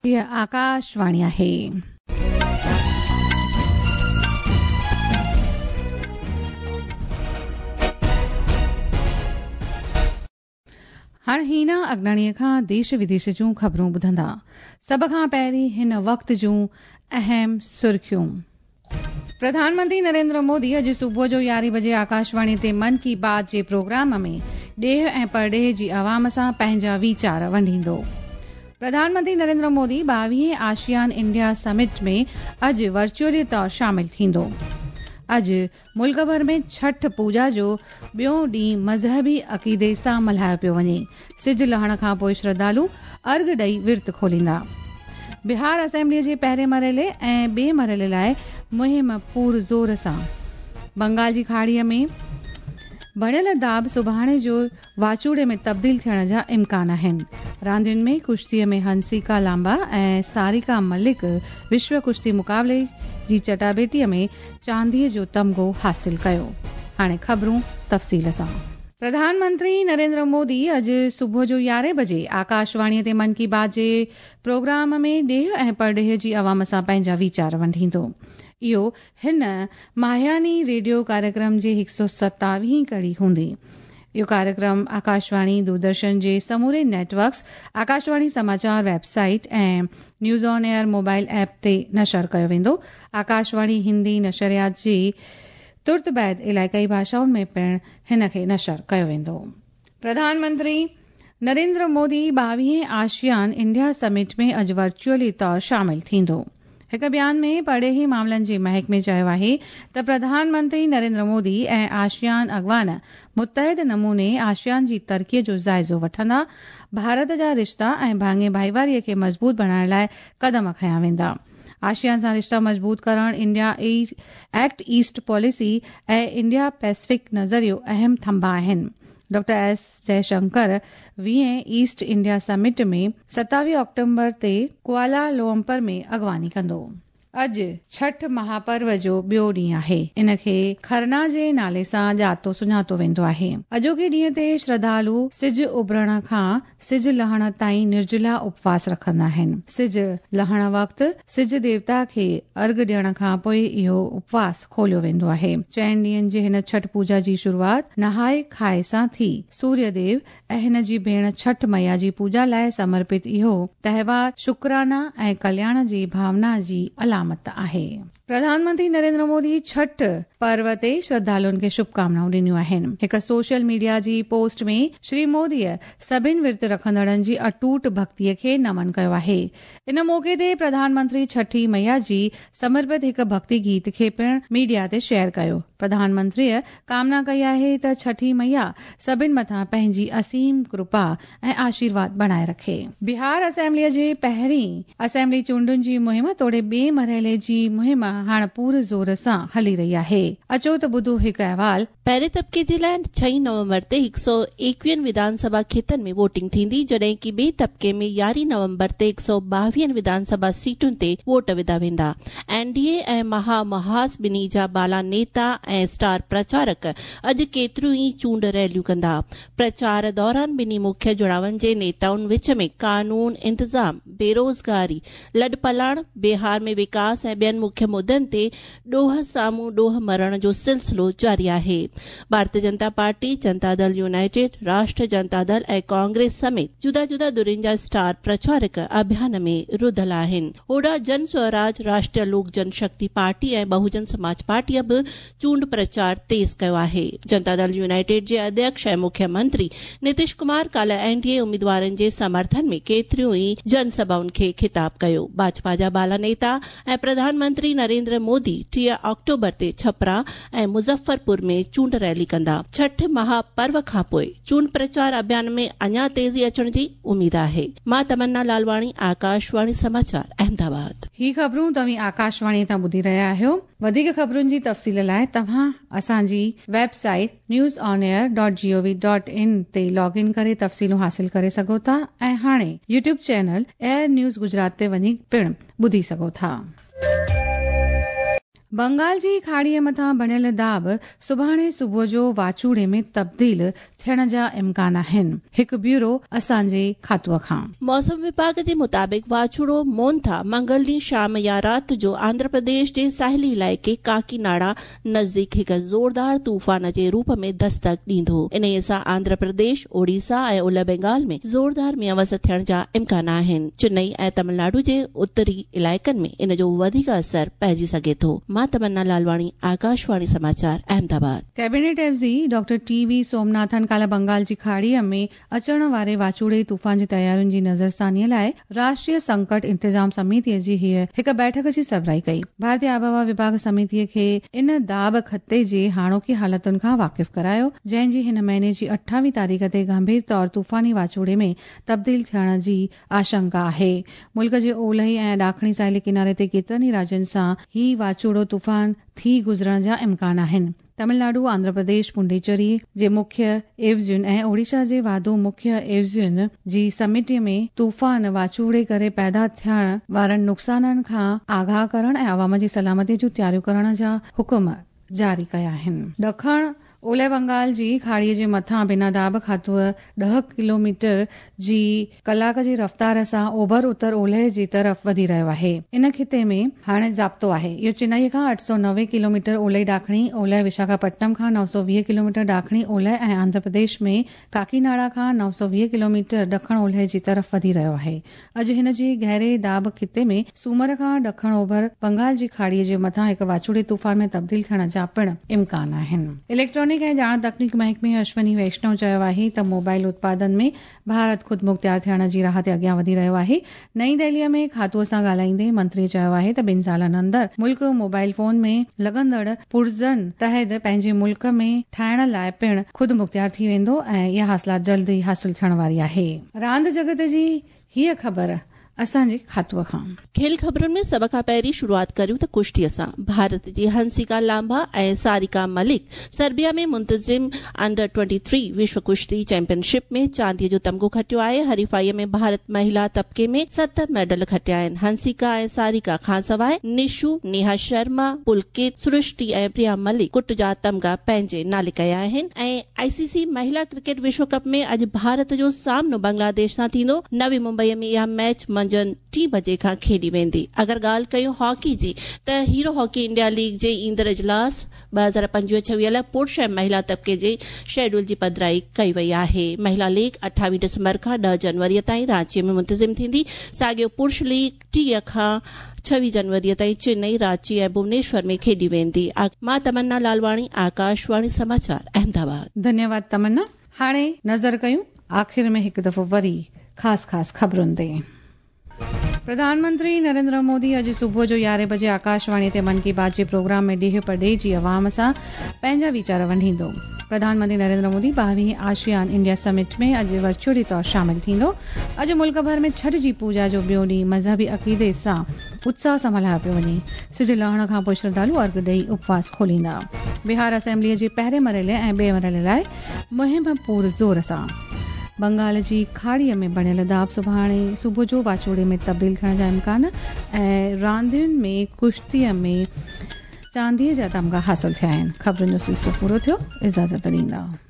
هيء آڪاشواڻي آهي. هاڻ هينا اگناڻيء کان ديش وديش جون خبرون ٻڌندا. سڀ کان پهرين هن وقت جون اهم سرخيون. پرڌان منتري نريندر مودي اڄ صبح جو يارهين بجي آڪاشواڻي تي من ڪي بات جي پروگرام ۾ ڏيهه ۽ پرڏيهه جي عوام سان پنهنجا ويچار ونڊيندو. پرڌان منتري نريندر مودي ٻاويهين آشيان انڊيا سمٽ ۾ اڄ ورچوئلي طور شامل ٿيندو. اڄ ملڪ ڀر ۾ ڇٺ پوڄا جو ٻيون ڏينهن مذهبي عقيدي سان ملهايو پيو وڃي. سج لهڻ کان پوء شرڌالو ارگهه ڏئي ورت کوليندا. بهار اسيمبليء جي پهرين مرحلي ۽ ٻئي مرحلي لاء مهم پور زور سان. بنگال جي کاڙيء ۾ بڻيل داٻ سڀاڻي جو واچوڙي ۾ تبديل ٿيڻ جا امڪان آهن. راندين ۾ ڪشتيء ۾ هنسيڪا لامبا ۽ ساريڪا ملڪ وشو ڪشتي مقابلي جي چٽاڀيٽيء ۾ چانديء جو تمغو حاصل ڪيو. هاڻي خبرون تفصيل سان. پرڌان منتري نريندر مودي اڄ صبح جو يارهين بجي آڪاشواڻيء تي من ڪي بات جي پروگرام ۾ ڏيهه ۽ پرڏيهه جي عوام سان پنهنجا ويچار ونڊيندو. اهو هن ماهياني ريڊيو ڪاريڪرم جي هڪ سؤ ستاويهين ڪڙي هوندي. اهو ڪاريڪرم آڪاشواڻي، دوردرشن جي سموري net works, Akashvani Samachar web site ۽ news on air mobile app تي نشر ڪيو ويندو. آڪاشواڻي هندي نشريات جي ترت بعد علائقائي ڀاشائن ۾ پڻ هن کي نشر ڪيو ويندو. پرڌان منتري نريندر مودي ٻاويهين آشيان انڊيا سمٽ ۾ اڄ ورچوئلي طور شامل ٿيندو. هڪ بيان ۾ پرڏيهي معاملن جي محڪمي چيو آهي ته پرڌان منتري نريندر مودي ۽ آشيان اڳواڻ متحد نموني آشيان جي ترقي جو جائزو وٺندا، ڀارت جا رشتا ۽ ڀاڱي ڀائيواري کي مضبوط بڻائڻ لاء قدم کنيا ويندا. آشيان سان رشتا مضبوط ڪرڻ، India act east policy ۽ India Pacific نظريو اهم ٿنڀا آهن. ڊاڪٽر ايس جئشنڪر ويهين ايسٽ انڊيا سمٽ ۾ ستاويهه آڪٽومبر تي ڪوالا لومپر ۾ اڳواڻي ڪندو. اڄ ڇٺ مهاپرو جو ٻيو ڏينهن آهي. ان کي کرنا جي نالي سان ڄاتو سڃاتو ويندو آهي. اڄوڪي ڏينهن تي شرڌالو سج اڀرڻ کان سج لهڻ تائين نرجلا اپواس رکندا آهن. سج لهڻ وقت سج ديوتا کي ارگهه ڏيڻ کان پوء اهو اپواس کوليو ويندو آهي. چئن ڏينهن جي هن ڇٺ پوڄا جي شروعات نهائي کائي سان ٿي. سوريه ديو ۽ هن جي ڀيڻ ڇٺ مئيا جي پوڄا لاء سمرپت اهو تهوار شڪرانا ۽ ڪلياڻ جي ڀاونا جي علامت آهي. پرڌان منتري نريندر مودي ڇٺ پرو تي شرڌالن کي شڀڪامنائون ڏنيون آهن. هڪ سوشل ميڊيا جي پوسٽ ۾ شري موديء سڀن ورت رکندڙن جي اٽوٽ ڀڳتيء کي نمن ڪيو آهي. ان موقعي تي پرڌان منتري ڇٺي مئيا جي سمرپت هڪ ڀڳتي گيت کي پڻ ميڊيا تي شيئر ڪيو. پرڌان منتريء ڪامنا ڪئي آهي ته ڇٺي مئيا سڀن مٿان پنهنجي اسيم ڪرپا ۽ آشيرواد بڻائي رکي. بهار اسيمبليء جي پهرين اسيمبلي چونڊن جي مهم توڙي ٻئي مرحلي جي مهم هاڻ پور زور سان هلي رهي آهي. اچو ته ٻڌو هڪ احوال. پهرين طبقي جي لاء ڇهين نومبر تي هڪ سؤ ايڪويهن وڌان سڀا کيتن ۾ ووٽنگ ٿيندي، جڏهن ڪي ٻئي طبقي ۾ يارهين نومبر تي هڪ سؤ ٻاويهن وڌان سڀا سيٽن تي ووٽ وڌا ويندا. اين ڊي اي ۽ مها محاذ ٻنهي جا بالا نيتا ۽ اسٽار پرچارڪ اڄ ڪيتريون ئي چونڊ ريليون ڪندا. پرچار دوران ٻنهي مکيه جڙاون جي نيتائن وچ ۾ قانون، انتظام، بيروزگاري، لڏپلاڻ، بهار ۾ وڪاس ۽ ٻين مکيه مدن تي ڏوهه سامهون ڏوهه مرڻ جو سلسلو جاري آهي. ڀارتي جنتا پارٽي، جنتا دل يونائيٽيڊ، راشٽر جنتا دل ۽ ڪانگريس سميت جدا جدا ڌرين جا اسٽار پرچارڪ اڀيان ۾ رڌل آهن. هوڏانهن جن سوراج، راشٽريه لوڪ جن شڪتي پارٽي ۽ بهوجن سماج پارٽيء به چونڊ پرچار تيز ڪيو آهي. جنتا دل يونائيٽيڊ جي اڌيڪش ۽ مکيه منتري نتيش ڪمار ڪالهه اين ڊي اي اميدوارن جي سمرٿن ۾ ڪيتريون ئي جن سڀائن کي خطاب ڪيو. ڀاجپا جا بالا نيتا ۽ پرڌان منتري نريندر مودي 30 آڪٽوبر تي ڇپرا ۽ مظفرپور ۾ چونڊ ريلي ڪندا. ڇٺ مها پرو کانپوء چونڊ پرچار اڀيان ۾ اڃا تيزي اچڻ جي اميد آهي. مان تمنا لالواڻي، آڪاشواڻي سماچار، احمدآباد. هي خبرون توهين آڪاشواڻي تان ٻڌي رهيا آهيو. وڌيڪ خبرن جي تفصيل لاء توهان اسان جي web site news on air dot G O V dot in تي لاگ ان ڪري تفصيلون حاصل ڪري سگهو ٿا ۽ هاڻي YouTube channel AIR news Gujarat تي وڃي پڻ ٻڌي سگهو ٿا. بنگال جي کاڙيء مٿان بڻيل داٻ سڀاڻي صبح جو واچوڙي ۾ تبديل ٿيڻ جا امڪان آهن، هڪ بيورو اسان جي کاتوء کان. موسم وڀاڳ جي مطابق واچوڙو مونٿا منگل ڏينهن شام يا رات جو آنڌرا پرديش جي ساحلي علائقي ڪاڪيناڙا نزديڪ هڪ زوردار طوفان جي روپ ۾ دستڪ ڏيندو. انهيء سان آنڌرا پرديش، اوڙيسا ۽ اولهه بينگال ۾ زوردار مينهن وس ٿيڻ جا امڪان آهن. چنئي ۽ تمل ناڊو جي اتري علائقن ۾ ان جو وڌيڪ اثر پئجي سگهي ٿو. مان تمنا لالواڻي، آڪاشواڻي سماچار، احمد آباد. ڪئبينيٽ عيوضي ڊاڪٽر ٽي وي سومناٿن ڪالهه بنگال جي کاڙيء ۾ اچڻ واري واچوڙي طوفان جي تيارين جي نظرثانيء لاء راشٽريه سنڪٽ انتظام سميتيء جي هيء هڪ بيٺڪ جي سربراهي ڪئي. ڀارتي آبهوا وڀاڳ سميتيء کي ان داٻ خطي جي هاڻوڪي حالتن کان واقف ڪرايو، جنهن جي هن مهيني جي اٺاويهه تاريخ تي گنڀير طور طوفاني واچوڙي ۾ تبديل ٿيڻ جي آشنڪا آهي. ملڪ جي اولهي ۽ ڏاکڻي ساحلي ڪناري تي ڪيترن ئي راجين سان هي واچوڙو طوفان ٿي گذرڻ جا امڪان آهن. تمل ناڊو، آنڌرا پرديش، پونڊيچري جي مکيه عيوضين ۽ اوڙيشا جي واڌو مکيه عيوضين جي سميٽي ۾ طوفان واچوڙي ڪري پيدا ٿيڻ وارن نقصانن کان آگاهه ڪرڻ ۽ عوام جي سلامتي جون تياريون ڪرڻ جا حڪم جاري ڪيا آهن. ڏکڻ اولهه بنگال جي کاڙيء جي مٿان بنا داٻ کاتوء ڏهه ڪلوميٽر جي ڪلاڪ جي رفتار سان اوڀر اتر اولهه جي طرف وڌي رهيو آهي. ان خطي ۾ هاڻي ضابطو آهي. اهو چنائي کان 890 ڪلوميٽر اولهي ڏاکڻي اولهه، وشاکاپٽنم کان 920 ڪلوميٽر ڏاکڻي اولهه ۽ آنڌرا پرديش ۾ ڪاڪيناڙا کان 920 ڪلوميٽر ڏکڻ اولهه جي طرف وڌي رهيو آهي. اڄ هن جي گهري داٻ خطي ۾ سومر کان ڏکڻ اوڀر بنگال جي کاڙيء جي مٿان هڪ واچوڙي طوفان ۾ تبديل ٿيڻ جا پڻ امڪان آهن. اليڪٽرانڪ ۽ ڄاڻ تڪنيڪ محڪمي اشوني ويشنو چيو آهي ته موبائل اتپادن ۾ ڀارت خودمختيار ٿيڻ جي راهه تي اڳيان وڌي رهيو آهي. نئين دهليء ۾ کاتوء سان ڳالهائيندي منتري چيو آهي ته ٻن سالن اندر ملڪ موبائل فون ۾ لڳندڙ پرزن تحت پنهنجي ملڪ ۾ ٺاهڻ لاء پڻ خودمختيار ٿي ويندو ۽ اها حاصلات جلد ئي حاصل ٿيڻ واري آهي. راند جڳت جي هيء خبر اسان جي کاتوء کان. کيل خبرن ۾ سڀ کان پهرين شروعات ڪريون ته ڪشتيء سان. ڀارت جي هنسيڪا لانبا ۽ ساريڪا ملڪ سربيا ۾ منتظم انڊر ٽوئنٽي ٿري وشو ڪشتي چيمپيئن شپ ۾ چانديء جو تمغو کٽيو آهي. حريفائيء ۾ ڀارت مهيلا طبقي ۾ ست ميڊل کٽيا آهن. هنسيڪا ۽ ساريڪا کانسواء نشو، نيها شرما، پلڪت، سرشٽي ۽ پريا ملڪ ڪٽ جا تمغا پنهنجي نالي ڪيا آهن ۽ آء سي سي مهيلا ڪرڪيٽ وشو ڪپ ۾ اڄ ڀارت جو سامنو بنگلاديش سان ٿيندو. نوي ممبئي ۾ اها ميچ منجهند ٽين بجي کان کيڏي ويندي. اگر ڳالهه ڪيون هاڪي جي ته هيرو هاڪي انڊيا ليگ جي ايندڙ اجلاس 2025 26 لاء پرش ۽ مهيلا طبقي جي شيڊول جي پڌرائي ڪئي وئي آهي. مهيلا ليگ 28 ڊسمبر کان ڏهه جنوري تائين رانچي ۾ منتظم ٿيندي. ساڳيو پرش ليگ 30 کان 26 جنوري تائين چنئي، رانچي ۽ ڀونيشور ۾ کيڏي ويندي. مان تمنا لالواڻي، آڪاشواڻي سماچار، احمد آباد. ڌنيواد تمنا. هاڻي نظر ڪيون آخر ۾ هڪ دفعو وري خاص خاص خبرن تي. پرڌان منتري نريندر مودي اڄ صبح جو يارهين بجي آڪاشواڻي تي من ڪي بات جي پروگرام ۾ ڏيهه پرڏيهه جي عوام سان پنهنجا ويچار ونڊيندو. پرڌان منتري نريندر مودي ٻاويهين آشيان انڊيا سمٽ ۾ اڄ ورچوئلي طور شامل ٿيندو. اڄ ملڪ ڀر ۾ ڇٺ جي پوڄا جو ٻيو ڏينهن مذهبي عقيدي سان اتساهه سان ملهايو پيو وڃي. سج لهڻ کان پوء شرڌالو ارگهه ڏئي اپواس کوليندا. بهار اسيمبليء جي پهرين مرحلي ۽ ٻئي مرحلي لاء مهم پور زور سان. بنگال جي کاڙيء ۾ بڻيل داٻ سڀاڻي صبح جو واچوڙي ۾ تبديل ٿيڻ جا امڪان ۽ راندين ۾ ڪشتيء ۾ چانديء جا تمغا حاصل ٿيا آهن. خبرن جو سلسلو پورو ٿيو. اجازت ڏيندا.